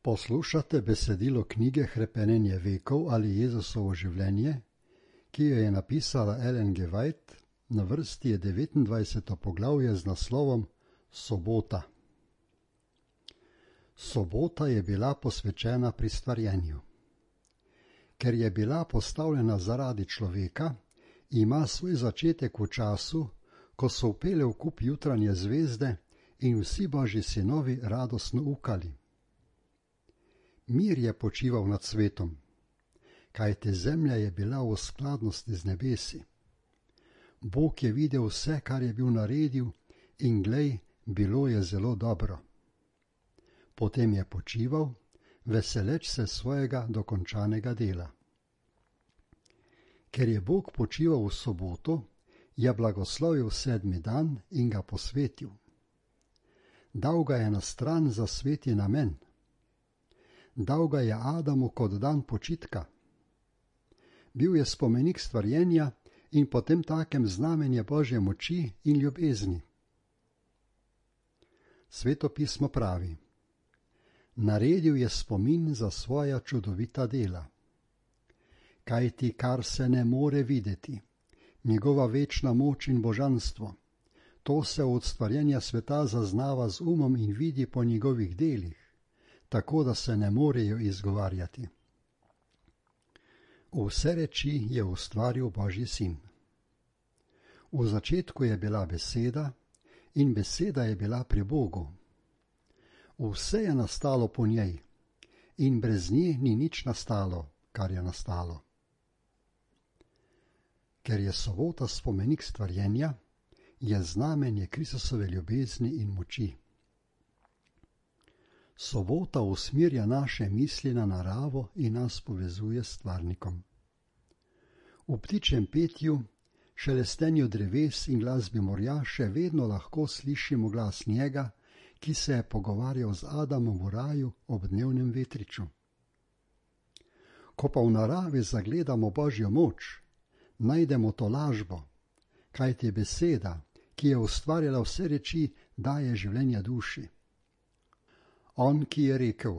Poslušate besedilo knjige Hrepenenje vekov ali Jezusovo življenje, ki jo je napisala Ellen G. White, na vrsti je 29. poglavje z naslovom Sobota. Sobota je bila posvečena pri stvarjenju. Ker je bila postavljena zaradi človeka, ima svoj začetek v času, ko so vpele v kup jutranje zvezde in vsi Božji sinovi radostno ukali. Mir je počival nad svetom, kajte zemlja je bila v skladnosti z nebesi. Bog je videl vse, kar je bil naredil, in glej, bilo je zelo dobro. Potem je počival, veseleč se svojega dokončanega dela. Ker je Bog počival v soboto, je blagoslovil 7. dan in ga posvetil. Dal ga je na stran za sveti namen. Dal ga je Adamu kot dan počitka. Bil je spomenik stvarjenja in potem takem znamenje Božje moči in ljubezni. Sveto pismo pravi: naredil je spomin za svoja čudovita dela. Kajti kar se ne more videti, njegova večna moč in božanstvo, to se od stvarjenja sveta zaznava z umom in vidi po njegovih delih, tako da se ne morejo izgovarjati. Vse reči je ustvaril Božji sin. V začetku je bila beseda in beseda je bila pri Bogu. Vse je nastalo po njej in brez nje ni nič nastalo, kar je nastalo. Ker je sobota spomenik stvarjenja, je znamenje Kristusove ljubezni in moči. Sobota usmerja naše misli na naravo in nas povezuje s stvarnikom. V ptičjem petju, šelestenju dreves in glasbi morja še vedno lahko slišimo glas njega, ki se je pogovarjal z Adamom v raju ob dnevnem vetriču. Ko pa v naravi zagledamo Božjo moč, najdemo to lažbo, kajti beseda, ki je ustvarjala vse reči, daje življenje duši. On, ki je rekel: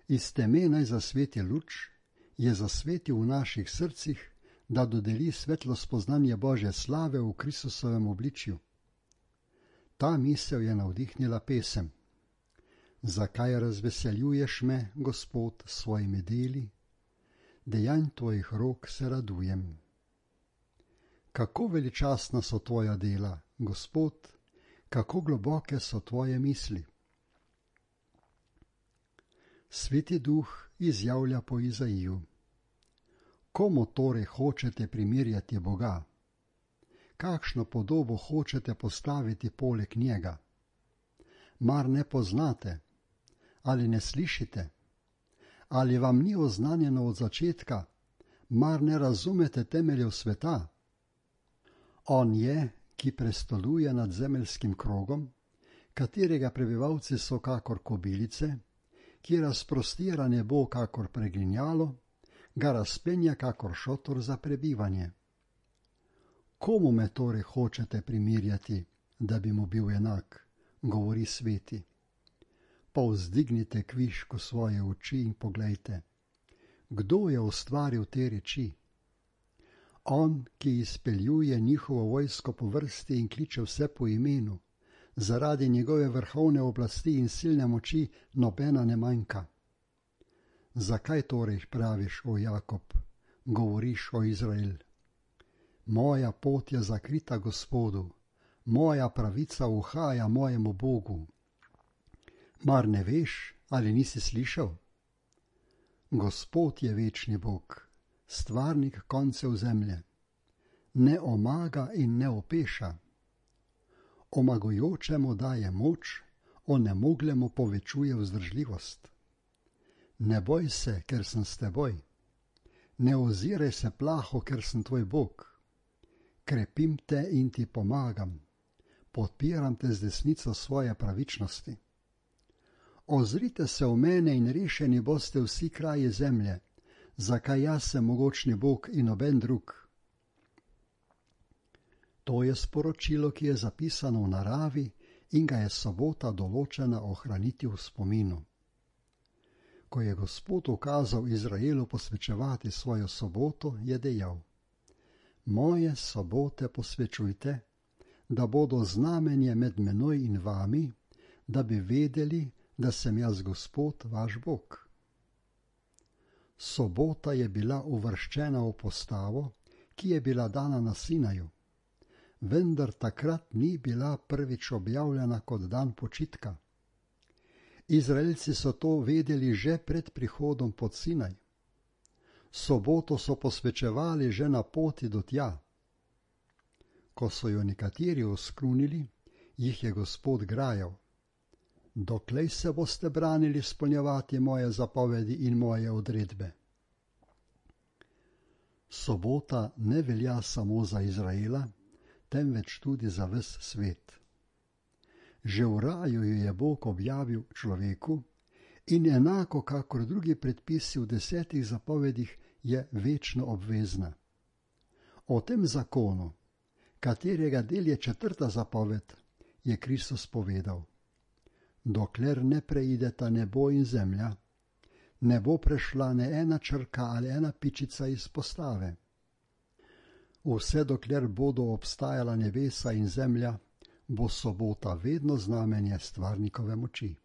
iz teme naj zasveti luč, je zasvetil v naših srcih, da dodeli svetlo spoznanje Božje slave v Kristusovem obličju. Ta misel je navdihnila pesem: zakaj razveseljuješ me, Gospod, s svojimi deli, dejanj tvojih rok se radujem. Kako veličastna so tvoja dela, Gospod, kako globoke so tvoje misli. Sveti Duh izjavlja po Izaiju: komu torej hočete primerjati Boga? Kakšno podobo hočete postaviti poleg njega? Mar ne poznate? Ali ne slišite? Ali vam ni oznanjeno od začetka? Mar ne razumete temeljev sveta? On je, ki prestoluje nad zemeljskim krogom, katerega prebivalci so kakor kobilice, ki razprostira nebo kakor pregrinjalo, ga razpenja kakor šotor za prebivanje. Komu me torej hočete primerjati, da bi mu bil enak, govori sveti. Povzdignite kvišku svoje oči in poglejte, kdo je ustvaril te reči? On, ki izpeljuje njihovo vojsko po vrsti in kliče vse po imenu, zaradi njegove vrhovne oblasti in silne moči nobena ne manjka. Zakaj torej praviš, o Jakob, govoriš, o Izrael? Moja pot je zakrita Gospodu, moja pravica uhaja mojemu Bogu. Mar ne veš ali nisi slišal? Gospod je večni Bog, stvarnik koncev zemlje, ne omaga in ne opeša. Omagujočemu daje moč, onemoglemu povečuje vzdržljivost. Ne boj se, ker sem s teboj. Ne oziraj se plaho, ker sem tvoj Bog. Krepim te in ti pomagam. Podpiram te z desnico svoje pravičnosti. Ozrite se v mene in rešeni boste vsi kraji zemlje, zakaj jaz sem mogočni Bog in noben drug. To je sporočilo, ki je zapisano v naravi in ga je sobota določena ohraniti v spominu. Ko je Gospod ukazal Izraelu posvečevati svojo soboto, je dejal: Moje sobote posvečujte, da bodo znamenje med menoj in vami, da bi vedeli, da sem jaz Gospod, vaš Bog. Sobota je bila uvrščena v postavo, ki je bila dana na Sinaju, vendar takrat ni bila prvič objavljena kot dan počitka. Izraelci so to vedeli že pred prihodom pod Sinaj. Soboto so posvečevali že na poti do tja. Ko so jo nekateri oskrunili, jih je Gospod grajal: Doklej se boste branili izpolnjevati moje zapovedi in moje odredbe? Sobota ne velja samo za Izraela, temveč tudi za ves svet. Že v raju jo je Bog objavil človeku in enako kakor drugi predpisi v 10 zapovedih je večno obvezna. O tem zakonu, katerega del je 4. zapoved, je Kristus povedal: Dokler ne preideta nebo in zemlja, ne bo prešla ne ena črka ali ena pičica iz postave. Vse dokler bodo obstajala nebesa in zemlja, bo sobota vedno znamenje stvarnikove moči.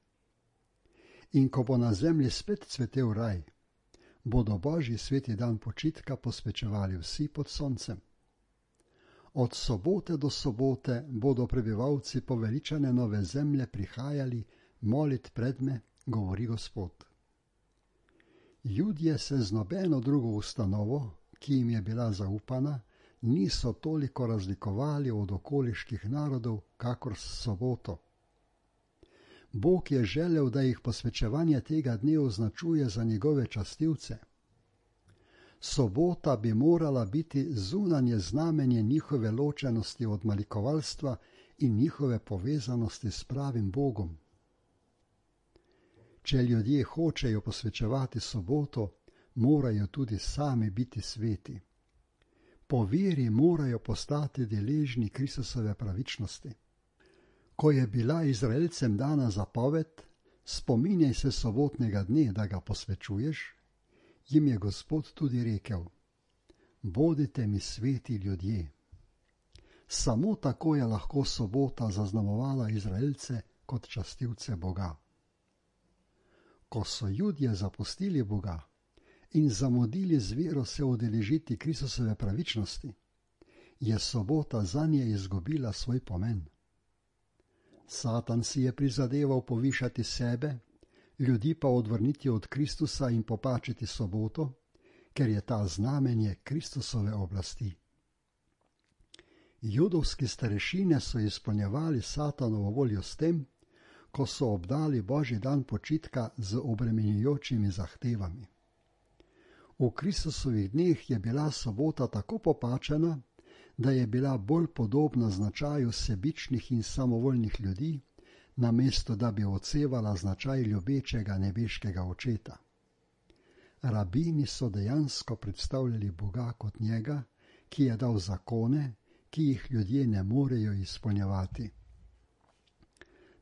In ko bo na zemlji spet cvetel raj, bodo Božji sveti dan počitka posvečevali vsi pod soncem. Od sobote do sobote bodo prebivalci poveličane nove zemlje prihajali molit predme, govori Gospod. Judje se z nobeno drugo ustanovo, ki jim je bila zaupana, niso toliko razlikovali od okoliških narodov, kakor s soboto. Bog je želel, da jih posvečevanje tega dne označuje za njegove častilce. Sobota bi morala biti zunanje znamenje njihove ločenosti od malikovalstva in njihove povezanosti s pravim Bogom. Če ljudje hočejo posvečevati soboto, morajo tudi sami biti sveti. Po veri morajo postati deležni Kristusove pravičnosti. Ko je bila Izraelcem dana zapoved, spominjaj se sobotnega dne, da ga posvečuješ, jim je Gospod tudi rekel: Bodite mi sveti ljudje. Samo tako je lahko sobota zaznamovala Izraelce kot častilce Boga. Ko so Judje zapustili Boga in zamudili z vero se udeležiti Kristusove pravičnosti, je sobota zanje izgubila svoj pomen. Satan si je prizadeval povišati sebe, ljudi pa odvrniti od Kristusa in popačiti soboto, ker je ta znamenje Kristusove oblasti. Judovski starešine so izpolnjevali Satanovo voljo s tem, ko so obdali Božji dan počitka z obremenjujočimi zahtevami. V Kristusovih dneh je bila sobota tako popačena, da je bila bolj podobna značaju sebičnih in samovoljnih ljudi, namesto da bi odsevala značaj ljubečega nebeškega očeta. Rabini so dejansko predstavljali Boga kot njega, ki je dal zakone, ki jih ljudje ne morejo izpolnjevati.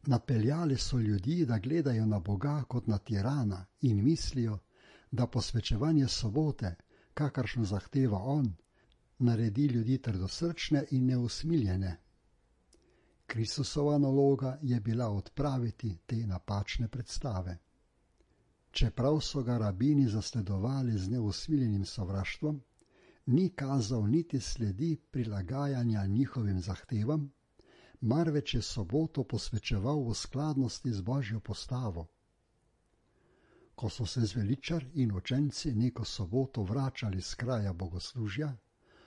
Napeljali so ljudi, da gledajo na Boga kot na tirana in mislijo, da posvečevanje sobote, kakršno zahteva on, naredi ljudi trdosrčne in neusmiljene. Kristusova naloga je bila odpraviti te napačne predstave. Čeprav so ga rabini zasledovali z neusmiljenim sovraštvom, ni kazal niti sledi prilagajanja njihovim zahtevam, marveč je soboto posvečeval v skladnosti z Božjo postavo. Ko so se zveličar in učenci neko soboto vračali z kraja bogoslužja,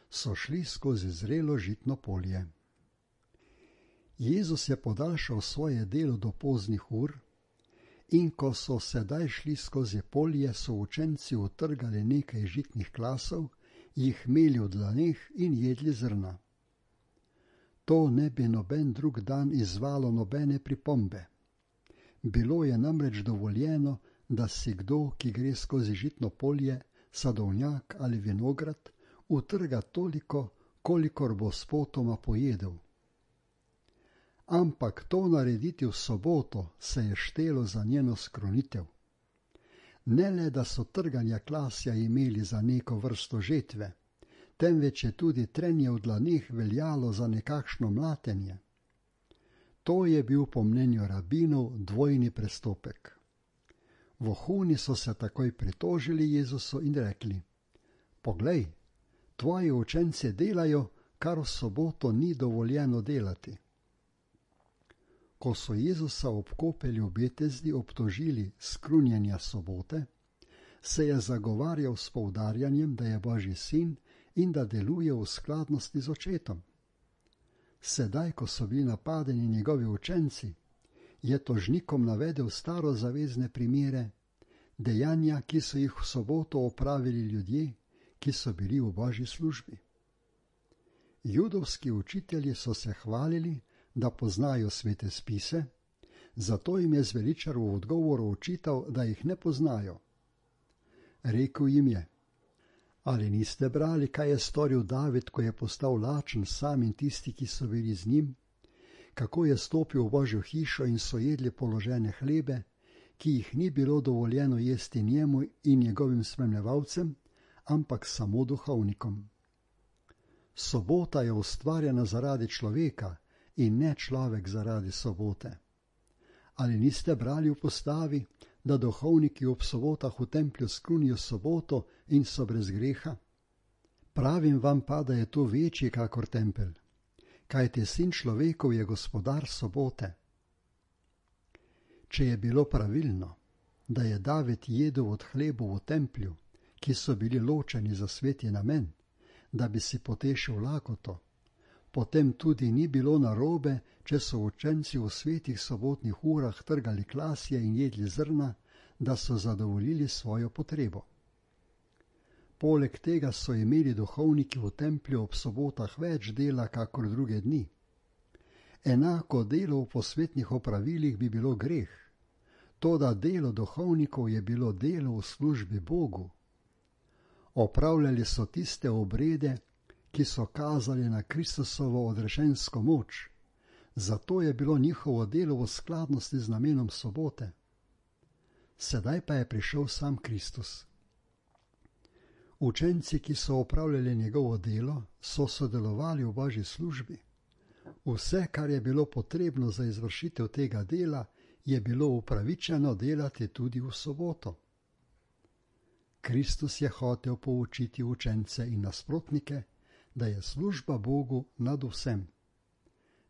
so šli skozi zrelo žitno polje. Jezus je podaljšal svoje delo do poznih ur in ko so sedaj šli skozi polje, so učenci utrgali nekaj žitnih klasov, jih imeli v dlaneh in jedli zrna. To ne bi noben drug dan izzvalo nobene pripombe. Bilo je namreč dovoljeno, da si kdo, ki gre skozi žitno polje, sadovnjak ali vinograd, utrga toliko, kolikor bo spotoma pojedel. Ampak to narediti v soboto se je štelo za njeno skrunitev. Ne le, da so trganja klasja imeli za neko vrsto žetve, temveč je tudi trenje v dlaneh veljalo za nekakšno mlatenje. To je bil po mnenju rabinov dvojni prestopek. Vohuni so se takoj pritožili Jezusu in rekli: Poglej, tvoji učenci delajo, kar v soboto ni dovoljeno delati. Ko so Jezusa ob kopelju v Betesdi obtožili skrunjenja sobote, se je zagovarjal s poudarjanjem, da je Božji sin in da deluje v skladnosti z očetom. Sedaj, ko so bili napadeni njegovi učenci, je tožnikom navedel starozavezne primere, dejanja, ki so jih v soboto opravili ljudje, ki so bili v Božji službi. Judovski učitelji so se hvalili, da poznajo svete spise, zato jim je zveličar v odgovoru očital, da jih ne poznajo. Rekel jim je: Ali niste brali, kaj je storil David, ko je postal lačen sam in tisti, ki so bili z njim? Kako je stopil v Božjo hišo in so jedli položene hlebe, ki jih ni bilo dovoljeno jesti njemu in njegovim spremljevalcem, ampak samo duhovnikom. Sobota je ustvarjena zaradi človeka in ne človek zaradi sobote. Ali niste brali v postavi, da duhovniki ob sobotah v templju skrunijo soboto in so brez greha? Pravim vam pa, da je to večji kakor tempelj, kajti sin človekov je gospodar sobote. Če je bilo pravilno, da je David jedel od hlebov v templju, ki so bili ločeni za sveti namen, da bi si potešil lakoto, potem tudi ni bilo narobe, če so učenci v svetih sobotnih urah trgali klasje in jedli zrna, da so zadovoljili svojo potrebo. Poleg tega so imeli duhovniki v templju ob sobotah več dela kakor druge dni. Enako delo v posvetnih opravilih bi bilo greh, toda delo duhovnikov je bilo delo v službi Bogu. Opravljali so tiste obrede, ki so kazali na Kristusovo odrešensko moč, zato je bilo njihovo delo v skladnosti z namenom sobote. Sedaj pa je prišel sam Kristus. Učenci, ki so opravljali njegovo delo, so sodelovali v Božji službi. Vse, kar je bilo potrebno za izvršitev tega dela, je bilo upravičeno delati tudi v soboto. Kristus je hotel poučiti učence in nasprotnike, da je služba Bogu nad vsem.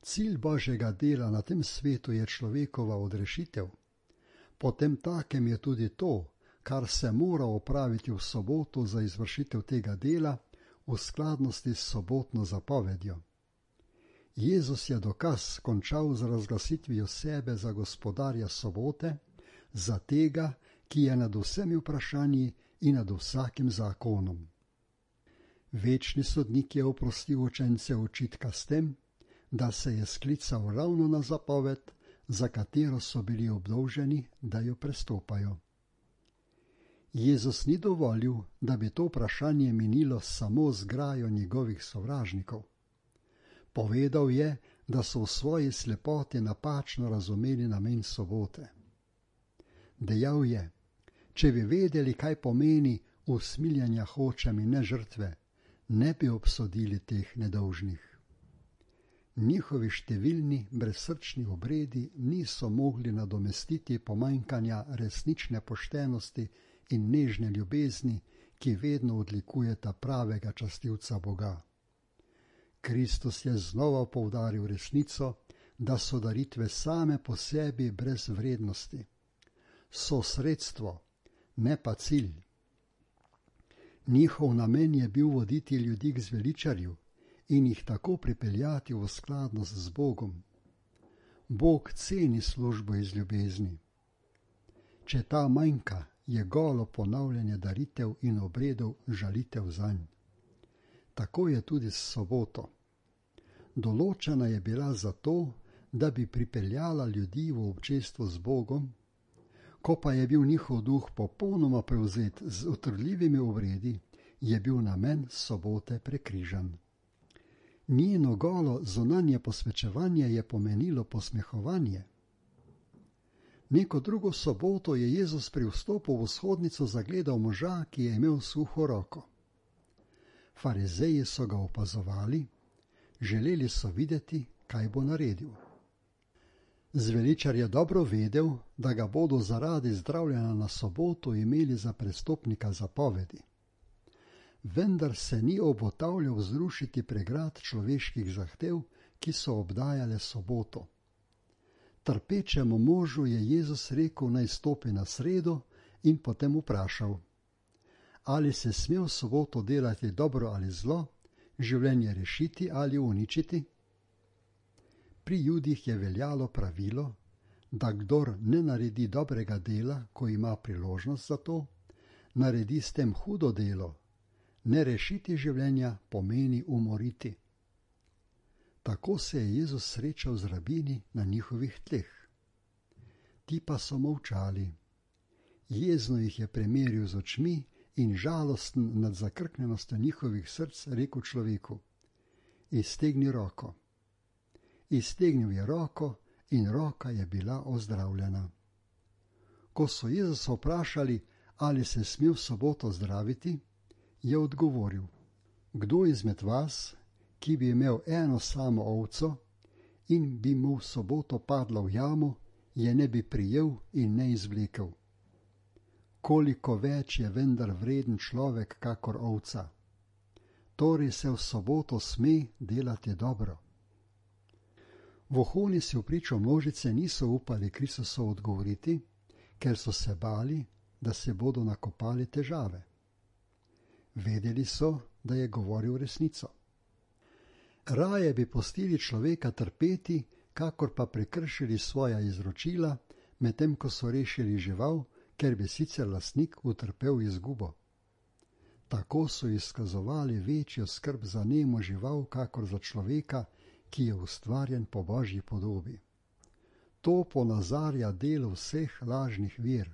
Cilj Božjega dela na tem svetu je človekova odrešitev. Potem takem je tudi to, kar se mora opraviti v soboto za izvršitev tega dela v skladnosti s sobotno zapovedjo. Jezus je dokaz končal z razglasitvijo sebe za gospodarja sobote, za tega, ki je nad vsemi vprašanji in nad vsakim zakonom. Večni sodnik je oprostil učence očitka s tem, da se je sklical ravno na zapoved, za katero so bili obdolženi, da jo prestopajo. Jezus ni dovolil, da bi to vprašanje minilo samo z grajo njegovih sovražnikov. Povedal je, da so v svoji slepoti napačno razumeli namen sobote. Dejal je: Če bi vedeli, kaj pomeni usmiljanja hočem in ne žrtve, ne bi obsodili teh nedolžnih. Njihovi številni brezsrčni obredi niso mogli nadomestiti pomanjkanja resnične poštenosti in nežne ljubezni, ki vedno odlikujeta pravega častilca Boga. Kristus je znova poudaril resnico, da so daritve same po sebi brez vrednosti. So sredstvo, ne pa cilj. Njihov namen je bil voditi ljudi k zveličarju in jih tako pripeljati v skladnost z Bogom. Bog ceni službo iz ljubezni. Če ta manjka, je golo ponavljanje daritev in obredov žalitev zanj. Tako je tudi s soboto. Določena je bila zato, da bi pripeljala ljudi v občestvo z Bogom, ko pa je bil njihov duh popolnoma prevzet z utrudljivimi obredi, je bil namen sobote prekrižan. Njeno golo zunanje posvečevanje je pomenilo posmehovanje. Neko drugo soboto je Jezus pri vstopu v vzhodnico zagledal moža, ki je imel suho roko. Farizeji so ga opazovali, želeli so videti, kaj bo naredil. Zveličar je dobro vedel, da ga bodo zaradi zdravljenja na soboto imeli za prestopnika zapovedi. Vendar se ni obotavljal zrušiti pregrad človeških zahtev, ki so obdajale soboto. Trpečemu možu je Jezus rekel, naj stopi na sredo, in potem vprašal: ali se sme v soboto delati dobro ali zlo, življenje rešiti ali uničiti? Pri Judih je veljalo pravilo, da kdor ne naredi dobrega dela, ko ima priložnost za to, naredi s tem hudo delo. Ne rešiti življenja pomeni umoriti. Tako se je Jezus srečal z rabini na njihovih tleh. Ti pa so molčali. Jezno jih je premeril z očmi in žalosten nad zakrknjenostjo njihovih src rekel človeku: iztegni roko. Iztegnil je roko in roka je bila ozdravljena. Ko so Jezusa vprašali, ali se sme v soboto zdraviti, je odgovoril: kdo izmed vas, ki bi imel eno samo ovco in bi mu v soboto padla v jamo, je ne bi prijel in ne izvlekel? Koliko več je vendar vreden človek kakor ovca. Torej se v soboto sme delati dobro. Vohuni si v pričo množice niso upali Kristusu odgovoriti, ker so se bali, da se bodo nakopali težave. Vedeli so, da je govoril resnico. Raje bi pustili človeka trpeti, kakor pa prekršili svoja izročila, medtem ko so rešili žival, ker bi sicer lastnik utrpel izgubo. Tako so izkazovali večjo skrb za nemo žival, kakor za človeka, ki je ustvarjen po Božji podobi. To ponazarja delo vseh lažnih ver.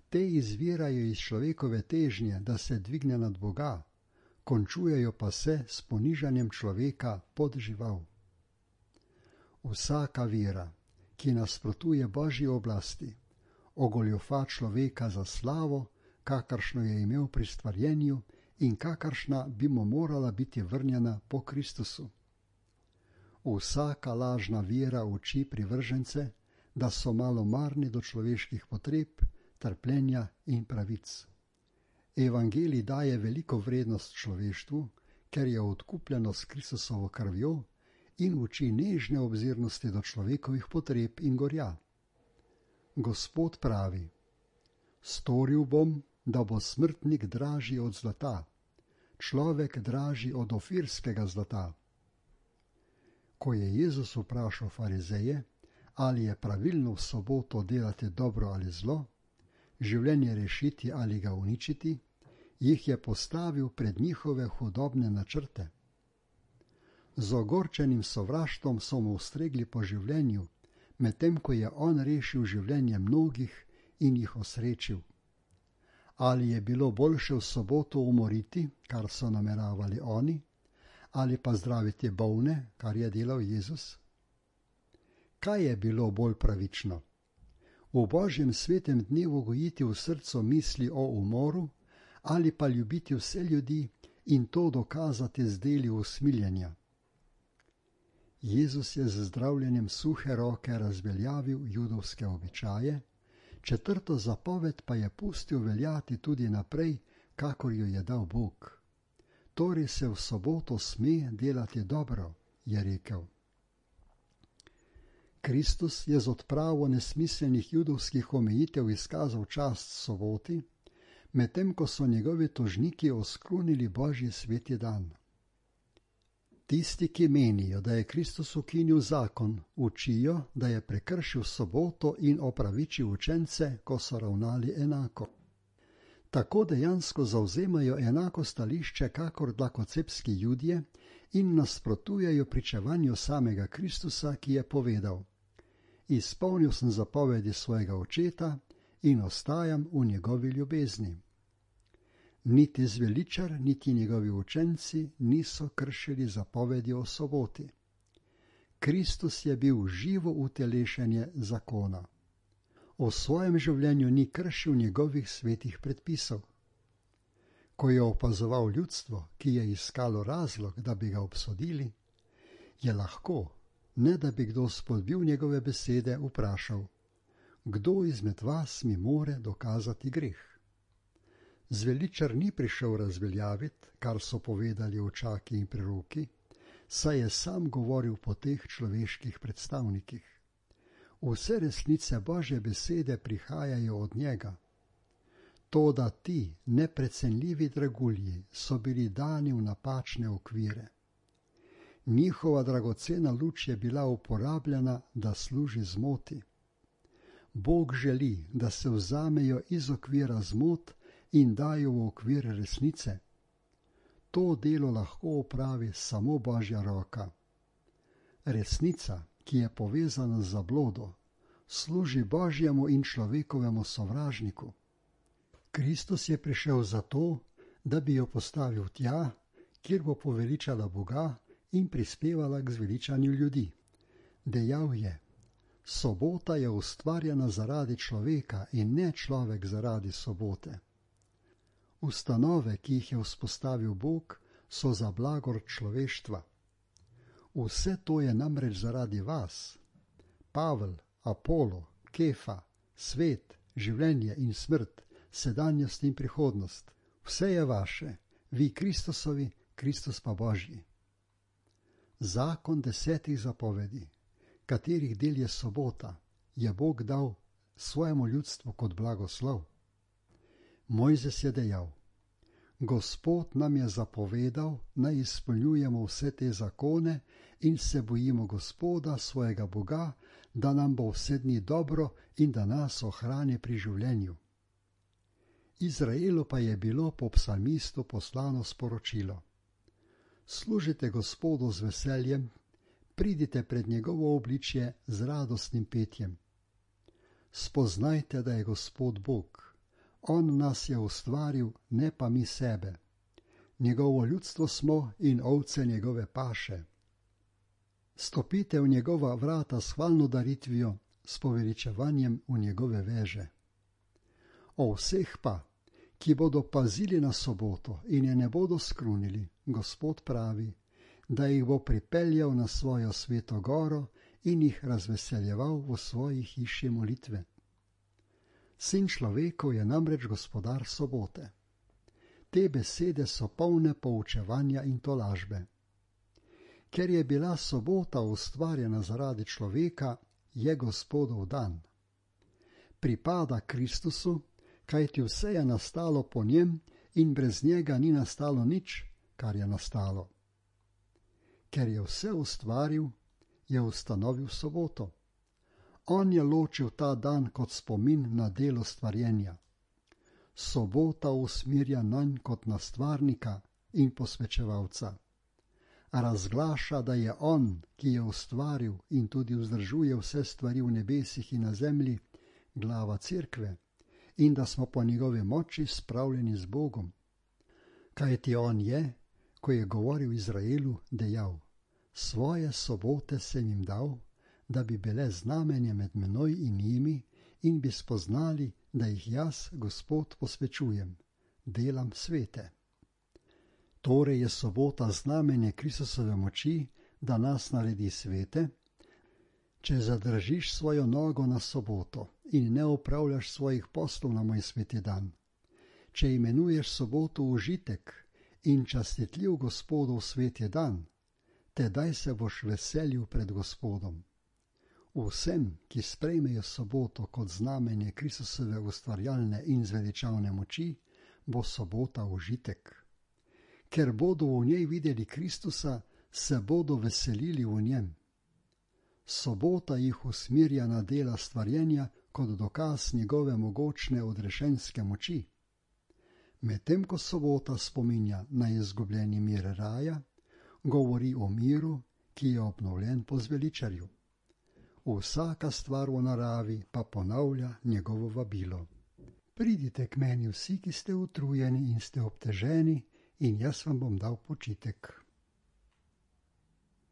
Te izvirajo iz človekove težnje, da se dvigne nad Boga, končujejo pa se s ponižanjem človeka pod žival. Vsaka vera, ki nasprotuje Božji oblasti, ogoljufa človeka za slavo, kakršno je imel pri stvarjenju in kakršna bi mu morala biti vrnjena po Kristusu. Vsaka lažna vera uči privržence, da so malomarni do človeških potreb, trpljenja in pravic. Evangelij daje veliko vrednost človeštvu, ker je odkupljeno s Kristusovo krvjo in uči nežne obzirnosti do človekovih potreb in gorja. Gospod pravi: storil bom, da bo smrtnik dražji od zlata, človek dražji od ofirskega zlata. Ko je Jezus vprašal farizeje, ali je pravilno v soboto delati dobro ali zlo, življenje rešiti ali ga uničiti, jih je postavil pred njihove hudobne načrte. Z ogorčenim sovraštvom so mu ustregli po življenju, medtem ko je on rešil življenje mnogih in jih osrečil. Ali je bilo boljše v soboto umoriti, kar so nameravali oni, ali pa zdraviti bolne, kar je delal Jezus? Kaj je bilo bolj pravično? V Božjem svetem dnevu gojiti v srcu misli o umoru ali pa ljubiti vse ljudi in to dokazati z deli usmiljenja? Jezus je z zdravljenjem suhe roke razveljavil judovske običaje, 4. zapoved pa je pustil veljati tudi naprej, kakor jo je dal Bog. Torej se v soboto sme delati dobro, je rekel. Kristus je z odpravo nesmiselnih judovskih omejitev izkazal čast soboti, medtem ko so njegovi tožniki oskrunili Božji sveti dan. Tisti, ki menijo, da je Kristus ukinil zakon, učijo, da je prekršil soboto in opravičil učence, ko so ravnali enako. Tako dejansko zavzemajo enako stališče kakor dlakocepski Judje in nasprotujejo pričevanju samega Kristusa, ki je povedal: izpolnil sem zapovedi svojega očeta in ostajam v njegovi ljubezni. Niti zveličar, niti njegovi učenci niso kršili zapovedi o soboti. Kristus je bil živo utelešenje zakona. V svojem življenju ni kršil njegovih svetih predpisov. Ko je opazoval ljudstvo, ki je iskalo razlog, da bi ga obsodili, je lahko, ne da bi kdo spodbil njegove besede, vprašal: kdo izmed vas mi more dokazati greh? Zveličar ni prišel razveljaviti, kar so povedali očaki in preroki, saj je sam govoril po teh človeških predstavnikih. Vse resnice Božje besede prihajajo od njega. Toda ti neprecenljivi dragulji so bili dani v napačne okvire. Njihova dragocena luč je bila uporabljena, da služi zmoti. Bog želi, da se vzamejo iz okvira zmot in dajo v okvir resnice. To delo lahko opravi samo Božja roka. Resnica, ki je povezana z zablodo, služi Božjemu in človekovemu sovražniku. Kristus je prišel zato, da bi jo postavil tja, kjer bo poveličala Boga in prispevala k zveličanju ljudi. Dejal je: sobota je ustvarjena zaradi človeka in ne človek zaradi sobote. Ustanove, ki jih je vzpostavil Bog, so za blagor človeštva. Vse to je namreč zaradi vas. Pavel, Apolo, Kefa, svet, življenje in smrt, sedanjost in prihodnost. Vse je vaše, vi Kristusovi, Kristus pa Božji. Zakon 10 zapovedi, katerih del je sobota, je Bog dal svojemu ljudstvu kot blagoslov. Mojzes je dejal: Gospod nam je zapovedal, naj izpolnjujemo vse te zakone in se bojimo Gospoda, svojega Boga, da nam bo vse dni dobro in da nas ohrani pri življenju. Izraelu pa je bilo po psalmistu poslano sporočilo: služite Gospodu z veseljem, pridite pred njegovo obličje z radostnim petjem. Spoznajte, da je Gospod Bog. On nas je ustvaril, ne pa mi sebe. Njegovo ljudstvo smo in ovce njegove paše. Stopite v njegova vrata s hvalno daritvijo, s poveličevanjem v njegove veže. O vseh pa, ki bodo pazili na soboto in je ne bodo skrunili, Gospod pravi, da jih bo pripeljal na svojo sveto goro in jih razveseljeval v svoji hiši molitve. Sin človekov je namreč gospodar sobote. Te besede so polne poučevanja in tolažbe. Ker je bila sobota ustvarjena zaradi človeka, je Gospodov dan. Pripada Kristusu, kajti vse je nastalo po njem in brez njega ni nastalo nič, kar je nastalo. Ker je vse ustvaril, je ustanovil soboto. On je ločil ta dan kot spomin na delo stvarjenja. Sobota usmirja nanj kot na stvarnika in posvečevalca. Razglaša, da je on, ki je ustvaril in tudi vzdržuje vse stvari v nebesih in na zemlji, glava cerkve, in da smo po njegovi moči spravljeni z Bogom. Kajti on je, ko je govoril Izraelu, dejal: svoje sobote sem jim dal, da bi bile znamenje med menoj in njimi in bi spoznali, da jih jaz, Gospod, posvečujem, delam svete. Torej je sobota znamenje Kristusove moči, da nas naredi svete. Če zadržiš svojo nogo na soboto in ne opravljaš svojih poslov na moj sveti dan, če imenuješ soboto užitek in častitljiv Gospodov sveti dan, tedaj se boš veselil pred Gospodom. Vsem, ki sprejmejo soboto kot znamenje Kristusove ustvarjalne in zveličavne moči, bo sobota užitek. Ker bodo v njej videli Kristusa, se bodo veselili v njem. Sobota jih usmirja na dela stvarjenja kot dokaz njegove mogočne odrešenske moči. Medtem ko sobota spominja na izgubljeni mir raja, govori o miru, ki je obnovljen po zveličarju. Vsaka stvar v naravi pa ponavlja njegovo vabilo. Pridite k meni vsi, ki ste utrujeni in ste obteženi, in jaz vam bom dal počitek.